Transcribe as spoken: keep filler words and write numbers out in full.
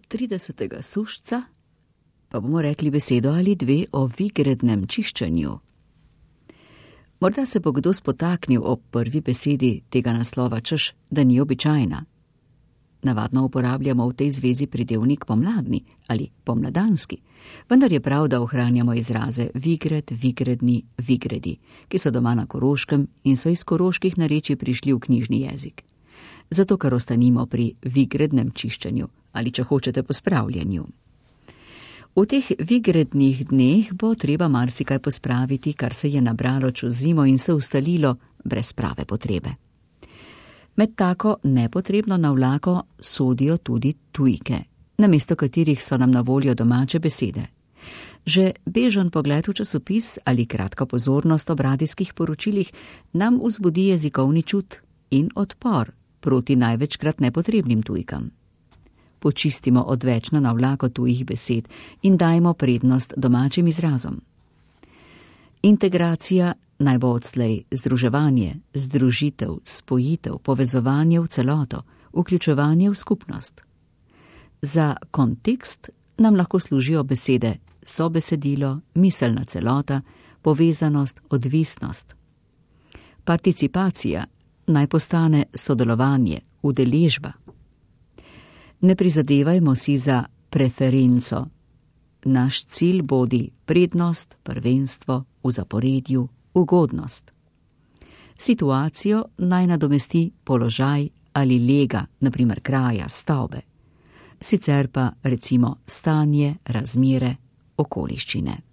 tridesetega sušca pa bomo rekli besedo ali dve o vigrednem čiščenju. Morda se bo kdo spotaknil ob prvi besedi tega naslova, češ, da ni običajna. Navadno uporabljamo v tej zvezi pridevnik pomladni ali pomladanski, vendar je prav, da ohranjamo izraze vigred, vigredni, vigredi, ki so doma na Koroškem in so iz koroških narečij prišli v knjižni jezik. Zato, ker ostanimo pri vigrednem čiščenju ali, če hočete, pospravljanju. V teh vigrednih dneh bo treba marsikaj pospraviti, kar se je nabralo čez zimo in se ustalilo brez prave potrebe. Med tako nepotrebno navlako sodijo tudi tujke, namesto katerih so nam na voljo domače besede. Že bežen pogled v časopis ali kratka pozornost ob radijskih poročilih nam vzbudi jezikovni čut in odpor proti največkrat nepotrebnim tujkam. Počistimo odvečno navlako tujih besed in dajmo prednost domačim izrazom. Integracija naj bo odslej združevanje, združitev, spojitev, povezovanje v celoto, vključevanje v skupnost. Za kontekst nam lahko služijo besede sobesedilo, miselna celota, povezanost, odvisnost. Participacija naj postane sodelovanje, udeležba. Ne prizadevajmo si za preferenco. Naš cilj bodi prednost, prvenstvo, v zaporedju, ugodnost. Situacijo naj nadomesti položaj ali lega, na primer kraja, stavbe. Sicer pa recimo stanje, razmere, okoliščine.